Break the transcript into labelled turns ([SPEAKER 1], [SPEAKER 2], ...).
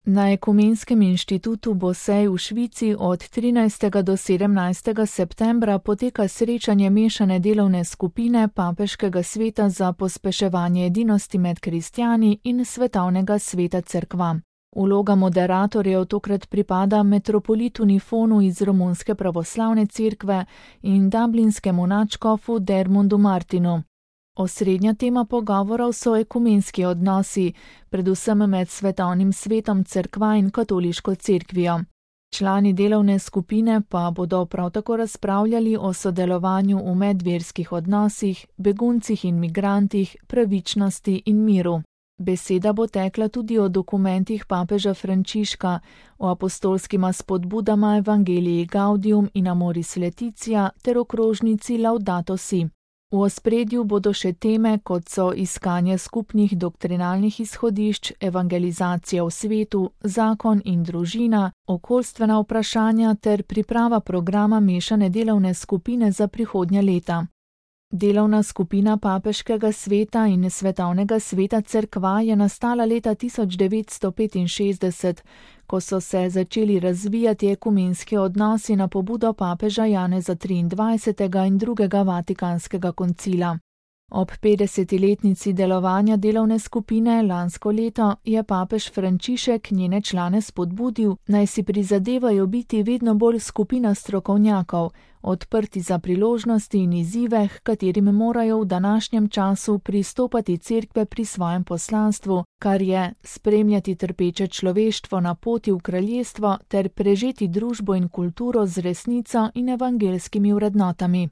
[SPEAKER 1] Na Ekumenskem inštitutu Bosej v Švici od 13. do 17. septembra poteka srečanje mešane delovne skupine Papeškega sveta za pospeševanje edinosti med kristjani in Svetovnega sveta cerkva. Vloga moderatorjev tokrat pripada metropolitu Nifonu iz Romunske pravoslavne cerkve in dublinskemu nadškofu Dermondu Martinu. Osrednja tema pogovorov so ekumenski odnosi, predvsem med Svetovnim svetom cerkva in katoliško cerkvijo. Člani delovne skupine pa bodo prav tako razpravljali o sodelovanju v medverskih odnosih, beguncih in migrantih, pravičnosti in miru. Beseda bo tekla tudi o dokumentih papeža Frančiška, o apostolskima spodbudama Evangelii Gaudium in Amoris Laetitia ter okrožnici Laudato Si. V ospredju bodo še teme, kot so iskanje skupnih doktrinalnih izhodišč, evangelizacija v svetu, zakon in družina, okoljstvena vprašanja ter priprava programa mešane delovne skupine za prihodnja leta. Delovna skupina Papeškega sveta in Svetovnega sveta cerkva je nastala leta 1965, ko so se začeli razvijati ekumenski odnosi na pobudo papeža Janeza XXIII. In drugega Vatikanskega koncila. Ob 50-letnici delovanja delovne skupine lansko leto je papež Frančišek njene člane spodbudil, naj si prizadevajo biti vedno bolj skupina strokovnjakov, odprti za priložnosti in izzive, h katerim morajo v današnjem času pristopati cerkve pri svojem poslanstvu, kar je spremljati trpeče človeštvo na poti v kraljestvo ter prežeti družbo in kulturo z resnico in evangelskimi vrednotami.